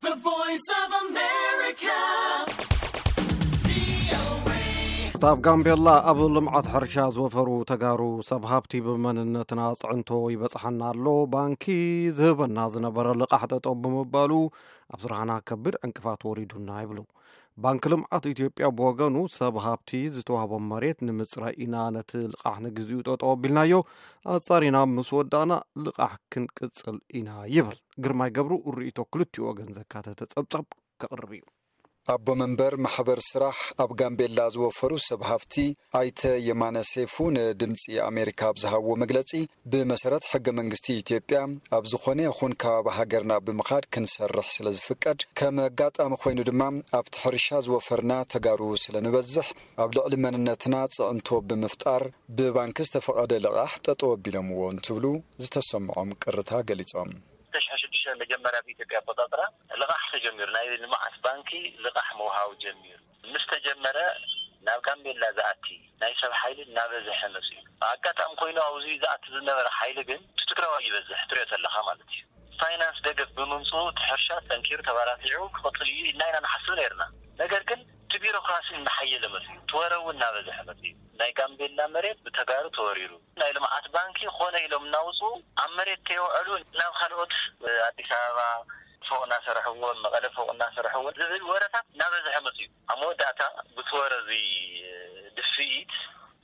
The Voice of America. እታ ኣብ ጋምቤላ ኣብ ልምዓት ሕርሻ ዝወፈሩ ተጋሩ ሰብ ሃብቲ ብመንነትና ኣጽዕንቶ ይበጽሓና ኣሎ፣ ባንኪ ዝህበና ዝነበረ ልቓሕ ጠጠው ብምባሉ ኣብ ስራሕና ከቢድ ዕንቅፋት ወሪዱና ይብሉ። ባንኪ ልምዓት ኢትዮጵያ ብወገኑ ሰብ ሃብቲ ዝተዋህቦም መሬት ንምጽራይ ኢና ነቲ ልቓሕ ንግዚኡ ጠጠው ኣቢልናዮ፣ ኣጻሪና ምስ ወዳእና ልቓሕ ክንቅጽል ኢና ይብል። ግርማይ ገብሩ ርእይቶ ክልቲኡ ወገን ዘካተተ ጸብጻብ ከቕርብ እዩ። ኣቦ መንበር ማሕበር ስራሕ ኣብ ጋምቤላ ዝወፈሩ ሰብ ሃፍቲ ኣይተ የማነ ሴፉ ንድምፂ ኣሜሪካ ኣብ ዝሃብዎ መግለፂ፣ ብመሰረት ሕገ መንግስቲ ኢትዮጵያ ኣብ ዝኾነ ይኹን ከባቢ ሃገርና ብምኻድ ክንሰርሕ ስለ ዝፍቀድ፣ ከም ኣጋጣሚ ኮይኑ ድማ ኣብቲ ሕርሻ ዝወፈርና ተጋሩ ስለ ንበዝሕ፣ ኣብ ልዕሊ መንነትና ፅዕንቶ ብምፍጣር ብባንኪ ዝተፈቐደ ልቓሕ ጠጠው ኣቢሎምዎ እንትብሉ ዝተሰምዖም ቅርታ ገሊፆም። ክልተ ሽሕን ሽዱሽተን መጀመርያ ብኢትዮጵያ ኣቆፃፅራ ልቓሕ ተጀሚሩ፣ ናይ ልምዓት ባንኪ ልቓሕ ምውሃብ ጀሚሩ ምስ ተጀመረ፣ ናብ ጋምቤላ ዝኣቲ ናይ ሰብ ሓይሊ እናበዝሐ መፅኡ። ኣጋጣሚ ኮይኑ ኣብዚ ዝኣቲ ዝነበረ ሓይሊ ግን እቲ ትግራዋይ ይበዝሕ ትሪኦ ዘለኻ ማለት እዩ። ፋይናንስ ደገፍ ብምምፅኡ እቲ ሕርሻ ጠንኪሩ ተባራቲዑ ክቕፅል እዩ ኢልና ኢና ንሓስብ ነይርና። ነገር ግን እቲ ቢሮክራሲ እናሓየለ መፅኡ፣ እቲ ወረ እውን እናበዝሐ መፅኡ። ናይ ጋምቤላ መሬት ብተጋሩ ተወሪሩ፣ ናይ ልምዓት ባንኪ ኮነ ኢሎም እናውፅኡ ኣብ መሬት ከየውዐሉ ናብ ካልኦት ኣዲስ ኣበባ ፎቕ እናሰረሕዎ፣ መቐለ ፎቕ እናሰረሕዎ ዝብል ወረታት እናበዝሐ መፅኡ። ኣብ መወዳእታ ብቲ ወረ እዚ ድፍኢት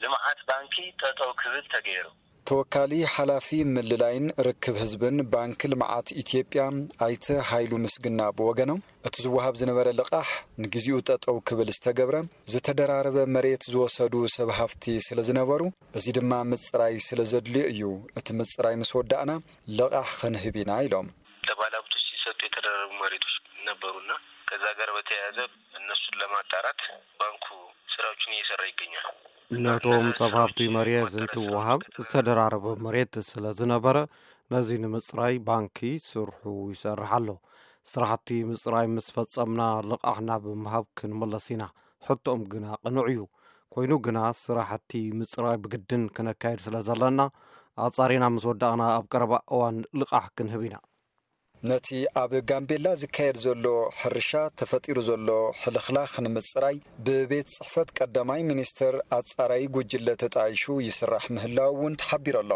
ልምዓት ባንኪ ጠጠው ክብል ተገይሩ። ተወካሊ ሓላፊ ምልላይን ርክብ ህዝብን ባንኪ ልምዓት ኢትዮጵያ ኣይተ ሃይሉ ምስግና ብወገኖም፣ እቲ ዝወሃብ ዝነበረ ልቓሕ ንግዚኡ ጠጠው ክብል ዝተገብረ፣ ዝተደራረበ መሬት ዝወሰዱ ሰብ ሃፍቲ ስለ ዝነበሩ፣ እዚ ድማ ምፅራይ ስለ ዘድልዮ እዩ። እቲ ምፅራይ ምስ ወዳእና ልቓሕ ክንህብ ኢና ኢሎም። ለባለሀብቶች ሲሰጡ የተደረጉ መሬቶች ነበሩና ከዛ ጋር በተያያዘ እነሱን ለማጣራት ባንኩ ስራዎችን እየሰራ ይገኛል። ነቶም ሰብ ሃብቲ መሬት እንትወሃብ ዝተደራረበ መሬት ስለ ዝነበረ፣ ነዚ ንምፅራይ ባንኪ ስርሑ ይሰርሕ ኣሎ። ስራሕቲ ምፅራይ ምስ ፈፀምና ልቓሕ ናብ ምሃብ ክንምለስ ኢና። ሕቶኦም ግና ቅኑዕ እዩ። ኮይኑ ግና ስራሕቲ ምፅራይ ብግድን ክነካየድ ስለ ዘለና፣ ኣፃሪና ምስ ወዳእና ኣብ ቀረባ እዋን ልቓሕ ክንህብ ኢና። ነቲ ኣብ ጋምቤላ ዝካየድ ዘሎ ሕርሻ ተፈጢሩ ዘሎ ሕልኽላኽ ንምፅራይ ብቤት ፅሕፈት ቀዳማይ ሚኒስትር ኣፃራዪ ጉጅለ ተጣይሹ ይስራሕ ምህላው እውን ተሓቢሩ ኣሎ።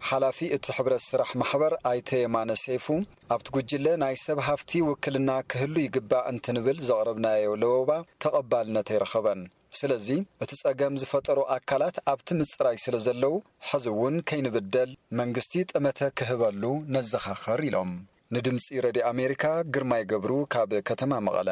ሓላፊ እቲ ሕብረት ስራሕ ማሕበር ኣይተ የማነ ሰይፉ፣ ኣብቲ ጉጅለ ናይ ሰብ ሃፍቲ ውክልና ክህሉ ይግባእ እንትንብል ዘቕረብናዮ ለበዋ ተቐባልነት ኣይረኸበን። ስለዚ እቲ ጸገም ዝፈጠሩ ኣካላት ኣብቲ ምጽራይ ስለ ዘለዉ፣ ሕዚ እውን ከይንብደል መንግስቲ ጠመተ ክህበሉ ነዘኻኸር ኢሎም። ንድምጺ ረድዮ ኣሜሪካ ግርማይ ገብሩ ካብ ከተማ መቐለ።